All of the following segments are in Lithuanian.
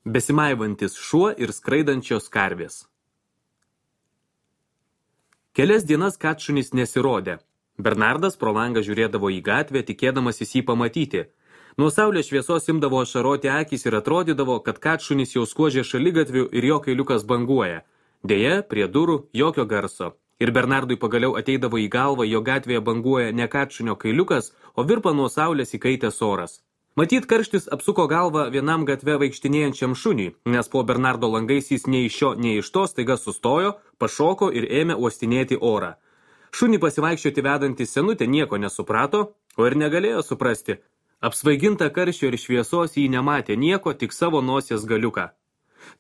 Besimaivantis šuo ir skraidančios karvės. Kelias dienas katšunis nesirodė. Bernardas pro langą žiūrėdavo į gatvę, tikėdamasis jį pamatyti. Nuo saulės šviesos imdavo ašaroti akys ir atrodydavo, kad katšunis jau skuodžia šaligatviu ir jo kailiukas banguoja. Deja, prie durų jokio garso. Ir Bernardui pagaliau ateidavo į galvą, jo gatvėje banguoja ne katšunio kailiukas, o virpa nuo saulės įkaitęs oras. Matyt, karštis apsuko galvą vienam gatve vaikštinėjančiam šuniui, nes po Bernardo langais jis nei iš šio, nei iš to staiga sustojo, pašoko ir ėmė uostinėti orą. Šunį pasivaikščioti vedantį senutė nieko nesuprato, o ir negalėjo suprasti. Apsvaiginta karščio ir šviesos jį nematė nieko, tik savo nosies galiuką.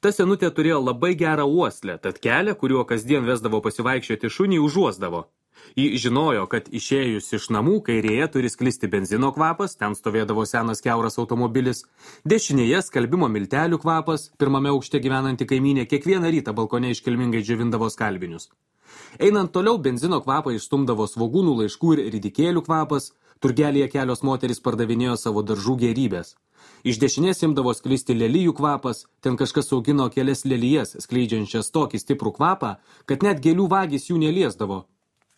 Ta senutė turėjo labai gerą uoslę, tad kelią, kuriuo kasdien vesdavo pasivaikščioti šunį, užuosdavo. Ji žinojo, kad išėjus iš namų kairėje turi sklisti benzino kvapas, ten stovėdavo senas kiauras automobilis, dešinėje skalbimo miltelių kvapas, pirmame aukšte gyvenanti kaimynė kiekvieną rytą balkone iškilmingai džiovindavo skalbinius. Einant toliau benzino kvapą išstumdavo svogūnų, laiškų ir ridikėlių kvapas, turgelėje kelios moterys pardavinėjo savo daržų gėrybės. Iš dešinės imdavo sklisti lelijų kvapas, ten kažkas augino kelias lelijas, skleidžiančias tokį stiprų kvapą, kad net gėlių vagys jų neliesdavo.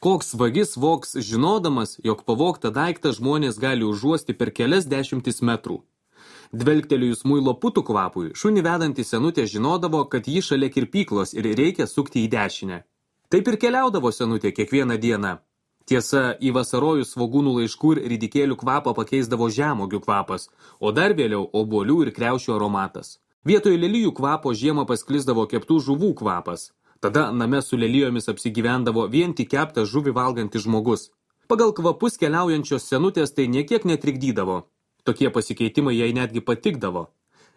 Koks vagis vogs žinodamas, jog pavogtą daiktą žmonės gali užuosti per kelias dešimtis metrų. Dvelgtelėjus muilo putų kvapui, šunį vedantį senutė žinodavo, kad ji šalia kirpyklos ir reikia sukti į dešinę. Taip ir keliaudavo senutė kiekvieną dieną. Tiesa, į vasarojus svogūnų laiškų ir ridikėlių kvapą pakeisdavo žemuogių kvapas, o dar vėliau obuolių ir kriaušių aromatas. Vietoj lelijų kvapo žiemą pasklisdavo keptų žuvų kvapas. Tada name su lelijomis apsigyvendavo vien tik keptą žuvį valgantis žmogus. Pagal kvapus keliaujančios senutės tai niekiek netrikdydavo. Tokie pasikeitimai jai netgi patikdavo.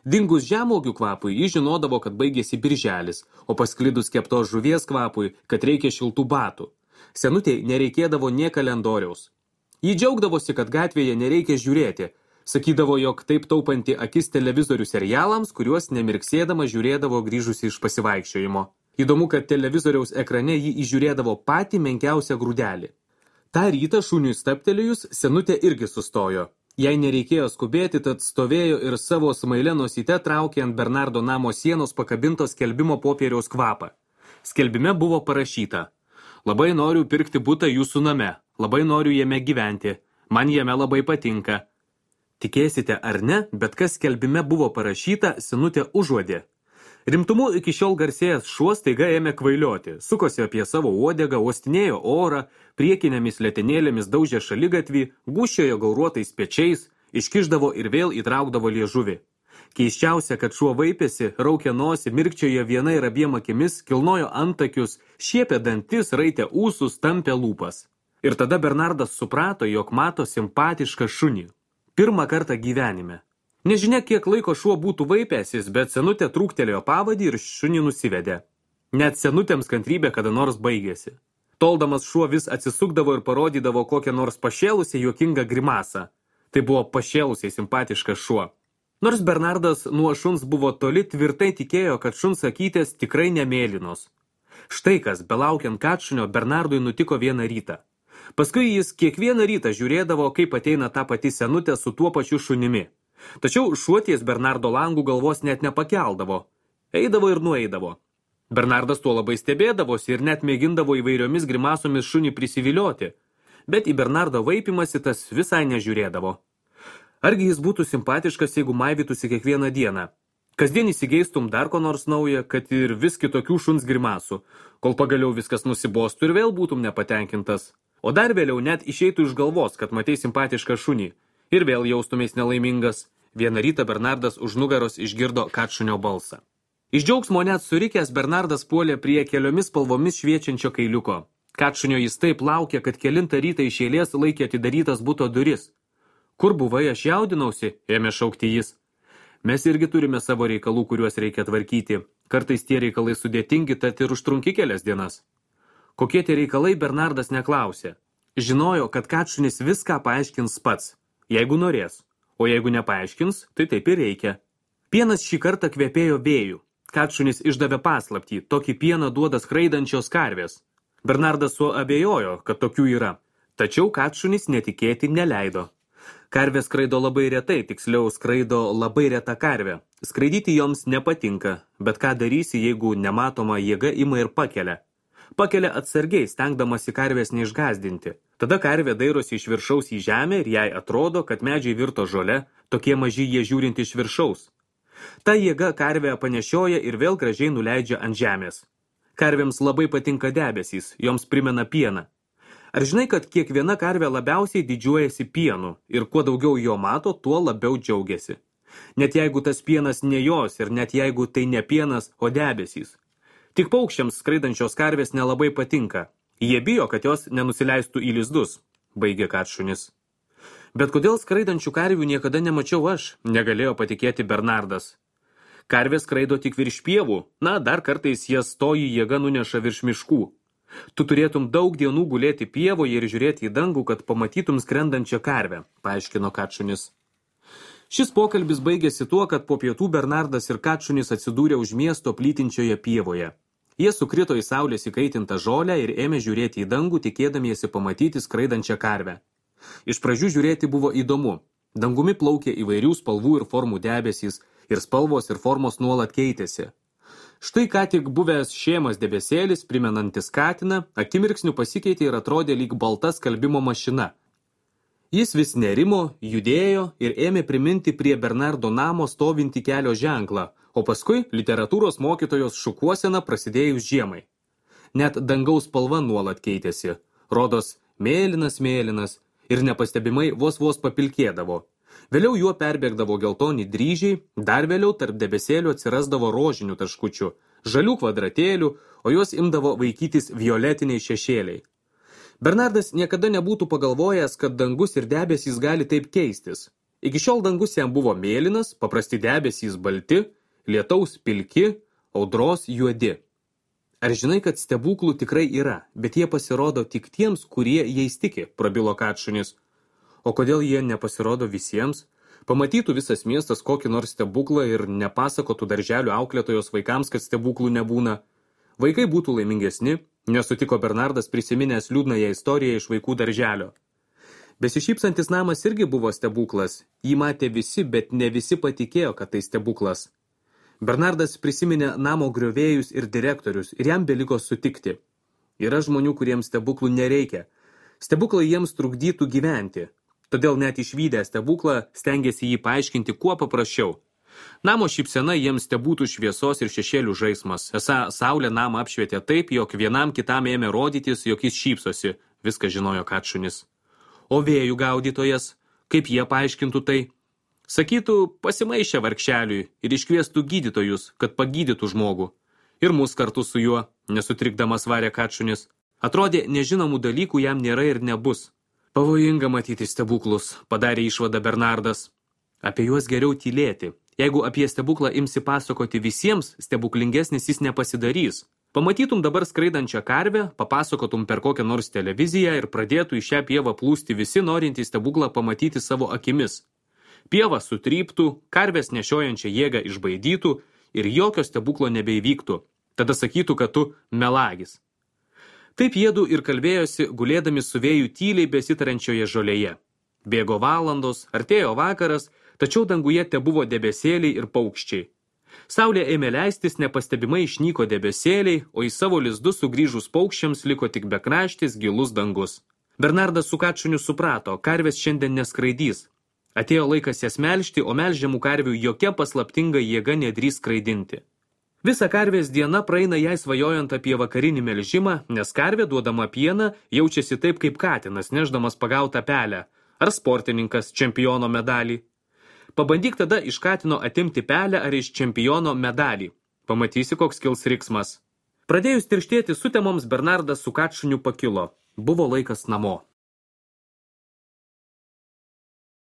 Dingus žemuogių kvapui, ji žinodavo, kad baigėsi birželis, o pasklidus keptos žuvies kvapui, kad reikia šiltų batų. Senutei nereikėdavo nė kalendoriaus. Ji džiaugdavosi, kad gatvėje nereikia žiūrėti. Sakydavo, jog taip taupanti akis televizorių serialams, kuriuos nemirksėdama žiūrėdavo grįžusi iš pasivaikščiojimo. Įdomu, kad televizoriaus ekrane jį įžiūrėdavo patį menkiausią grūdelį. Ta rytą šuniui stabtelėjus, senutė irgi sustojo. Jai nereikėjo skubėti, tad stovėjo ir savo smailę nosyte traukė ant Bernardo namo sienos pakabintos skelbimo popieriaus kvapą. Skelbime buvo parašyta: Labai noriu pirkti butą jūsų name, labai noriu jame gyventi, man jame labai patinka. Tikėsite ar ne, bet kas skelbime buvo parašyta, senutė užuodė. Rimtumu iki šiol garsėjęs šuo staiga ėmė kvailioti, sukosi apie savo uodegą, uostinėjo orą, priekinėmis letenėlėmis daužė šaligatvį, gūžčiojo gauruotais pečiais, iškišdavo ir vėl įtraukdavo liežuvį. Keisčiausia, kad šuo vaipėsi, raukė nosį, mirkčiojo viena ir abiem akimis, kilnojo antakius, šiepė dantis, raitė ūsus, tampė lūpas. Ir tada Bernardas suprato, jog mato simpatišką šunį. Pirmą kartą gyvenime. Nežinia, kiek laiko šuo būtų vaipęsis, bet senutė trūktelėjo pavadį ir šunį nusivedė. Net senutėms kantrybė kada nors baigėsi. Toldamas šuo vis atsisukdavo ir parodydavo kokią nors pašėlusią juokingą grimasą. Tai buvo pašėlusiai simpatiškas šuo. Nors Bernardas nuo šuns buvo toli, tvirtai tikėjo, kad šuns akytės tikrai nemėlynos. Štai kas, belaukiant katšunio, Bernardui nutiko vieną rytą. Paskui jis kiekvieną rytą žiūrėdavo, kaip ateina ta pati senutė su tuo pačiu šunimi. Tačiau šuo ties Bernardo langų galvos net nepakeldavo. Eidavo ir nueidavo. Bernardas tuo labai stebėdavosi ir net mėgindavo įvairiomis grimasomis šunį prisivilioti. Bet į Bernardo vaipimąsi tas visai nežiūrėdavo. Argi jis būtų simpatiškas, jeigu maivytųsi kiekvieną dieną? Kasdien įsigeistum dar ko nors naują, kad ir vis kitokių šuns grimasų, kol pagaliau viskas nusibostų ir vėl būtum nepatenkintas. O dar vėliau net išeitų iš galvos, kad matei simpatišką šunį. Ir vėl jaustumės nelaimingas. Vieną rytą Bernardas už nugaros išgirdo katšunio balsą. Iš džiaugsmo net surikęs Bernardas puolė prie keliomis spalvomis šviečiančio kailiuko. Katšunio jis taip laukė, kad kelintą rytą iš eilės laikė atidarytas buto duris. Kur buvai, aš jaudinausi, ėmė šaukti jis. Mes irgi turime savo reikalų, kuriuos reikia tvarkyti. Kartais tie reikalai sudėtingi, tad ir užtrunki kelias dienas. Kokie tie reikalai, Bernardas neklausė. Žinojo, kad katšunis viską paaiškins pats, jeigu norės. O jeigu nepaaiškins, tai taip ir reikia. Pienas šį kartą kvepėjo vėjų. Katšunis išdavė paslaptį, tokį pieną duoda skraidančios karvės. Bernardas suabejojo, kad tokių yra. Tačiau katšunis netikėti neleido. Karvė skraido labai retai, tiksliau skraido labai reta karvė. Skraidyti joms nepatinka, bet ką darysi, jeigu nematoma jėga ima ir pakelia. Pakelia atsargiai, stengdamasi karvės neišgazdinti. Tada karvė dairosi iš viršaus į žemę ir jai atrodo, kad medžiai virto žole, tokie maži jie žiūrint iš viršaus. Ta jėga karvė panešioja ir vėl gražiai nuleidžia ant žemės. Karvėms labai patinka debesys, joms primena pieną. Ar žinai, kad kiekviena karvė labiausiai didžiuojasi pienu ir kuo daugiau jo mato, tuo labiau džiaugiasi. Net jeigu tas pienas ne jos ir net jeigu tai ne pienas, o debesys. Tik paukščiams skraidančios karvės nelabai patinka. Jie bijo, kad jos nenusileistų į lizdus, baigė Katšunis. Bet kodėl skraidančių karvių niekada nemačiau aš, negalėjo patikėti Bernardas. Karvės skraido tik virš pievų, dar kartais jas toji jėga nuneša virš miškų. Tu turėtum daug dienų gulėti pievoje ir žiūrėti į dangų, kad pamatytum skrendančią karvę, paaiškino Katšunis. Šis pokalbis baigėsi tuo, kad po pietų Bernardas ir Katšunis atsidūrė už miesto plytinčioje pievoje. Jie sukrito į saulės įkaitintą žolę ir ėmė žiūrėti į dangų, tikėdamiesi pamatyti skraidančią karvę. Iš pradžių žiūrėti buvo įdomu. Dangumi plaukė įvairių spalvų ir formų debesys, ir spalvos ir formos nuolat keitėsi. Štai ką tik buvęs šėmas debesėlis, primenantis katiną, akimirksniu pasikeitė ir atrodė lyg balta skalbimo mašina. Jis vis nerimo, judėjo ir ėmė priminti prie Bernardo namo stovintį kelio ženklą, o paskui literatūros mokytojos šukuosena prasidėjus žiemai. Net dangaus spalva nuolat keitėsi, rodos mėlynas ir nepastebimai vos papilkėdavo. Vėliau juo perbėgdavo geltoni dryžiai, dar vėliau tarp debesėlių atsirasdavo rožinių taškučių, žalių kvadratėlių, o juos imdavo vaikytis violetiniai šešėliai. Bernardas niekada nebūtų pagalvojęs, kad dangus ir debesys gali taip keistis. Iki šiol dangus jam buvo mėlynas, paprasti debesys balti, lietaus pilki, audros juodi. Ar žinai, kad stebuklų tikrai yra, bet jie pasirodo tik tiems, kurie jais tiki, prabilo Katšunis. O kodėl jie nepasirodo visiems? Pamatytų visas miestas kokį nors stebuklą ir nepasakotų darželių auklėtojos vaikams, kad stebuklų nebūna. Vaikai būtų laimingesni, nesutiko Bernardas prisiminęs liūdnąją istoriją iš vaikų darželio. Besišypsantis namas irgi buvo stebuklas. Jį matė visi, bet ne visi patikėjo, kad tai stebuklas. Bernardas prisiminė namo griovėjus ir direktorius ir jam beliko sutikti. Yra žmonių, kuriems stebuklų nereikia. Stebuklai jiems trukdytų gyventi. Todėl net išvydę stebuklą stengėsi jį paaiškinti kuo paprasčiau. Namo šypsena jiems tebūtų šviesos ir šešėlių žaismas. Esą saulė namą apšvietė taip, jog vienam kitam ėmė rodytis, jog jis šypsosi. Viską žinojo Katšunis. O vėjų gaudytojas, kaip jie paaiškintų tai? Sakytų, pasimaišė vargšeliui ir iškviestų gydytojus, kad pagydytų žmogų. Ir mus kartu su juo, nesutrikdamas varė Katšunis. Atrodė, nežinomų dalykų jam nėra ir nebus. Pavojinga matyti stebuklus, padarė išvadą Bernardas. Apie juos geriau tylėti. Jeigu apie stebuklą imsi pasakoti visiems, stebuklingesnis jis nepasidarys. Pamatytum dabar skraidančią karvę, papasakotum per kokią nors televiziją ir pradėtų į šią pievą plūsti visi norintys stebuklą pamatyti savo akimis. Pieva sutryptų, karvės nešiojančią jėgą išbaidytų ir jokio stebuklo nebeįvyktų. Tada sakytų, kad tu melagis. Taip jiedu ir kalbėjosi, gulėdami su vėju tyliai besitarančioje žolėje. Bėgo valandos, artėjo vakaras, tačiau danguje tebuvo debesėliai ir paukščiai. Saulė ėmė leistis, nepastebimai išnyko debesėliai, o į savo lizdus sugrįžus paukščiams liko tik bekraštis gilus dangus. Bernardas su Katšuniu suprato, karvės šiandien neskraidys. Atėjo laikas jas melžti, o melžiamų karvių jokia paslaptinga jėga nedrįs skraidinti. Visa karvės diena praeina jai svajojant apie vakarinį melžimą, nes karvė duodama pieną jaučiasi taip kaip katinas, neždamas pagautą pelę, ar sportininkas čempiono medalį. Pabandyk tada iš katino atimti pelę ar iš čempiono medalį. Pamatysi, koks kils riksmas. Pradėjus tirštėti sutemoms, Bernardas su Katšuniu pakilo. Buvo laikas namo.